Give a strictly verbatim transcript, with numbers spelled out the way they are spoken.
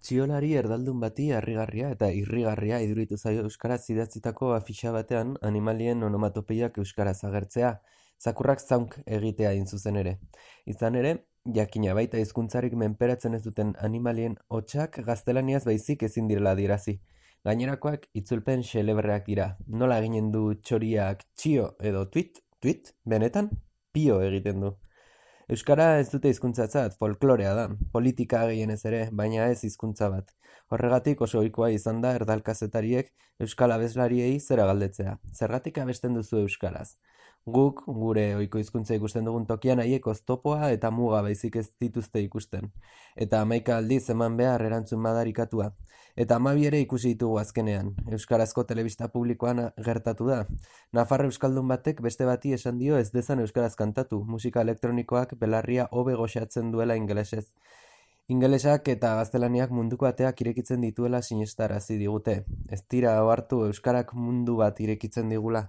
Txiolari erdaldun bati harrigarria eta irrigarria iduritu zaio euskaraz idatzitako afixa batean animalien onomatopeiak euskaraz agertzea, zakurrak zaunk egitea hain zuzen ere. Izan ere, jakina baita hizkuntzarik menperatzen ez duten animalien hotsak gaztelaniaz baizik ezin direla adierazi. Gainerakoak itzulpen xelebreak dira. Nola eginen du txoriak txio edo tuit, tuit, benetan, pio egiten du. Euskara ez dute hizkuntzatzat, folklorea da, politika gehienez ere, baina ez hizkuntza bat. Horregatik oso ohikoa izan da erdalkazetariek euskal abeslariei zera galdetzea. Zergatik abesten duzu euskaraz? Guk, gure ohiko hizkuntza ikusten dugun tokian haiek oztopoa eta muga baizik ez dituzte ikusten. Eta hamaika aldiz eman behar erantzun madarikatua. Eta hamabi ere ikusi ditugu azkenean. Euskarazko telebista publikoan gertatu da. Nafar euskaldun batek beste bati esan dio ez dezan euskaraz kantatu, musika elektronikoak belarria hobe goxatzen duela ingelesez. Ingelesak eta gaztelaniak munduko ateak irekitzen dituela sinestarazi digute. Ez dira ohartu euskarak mundu bat irekitzen digula.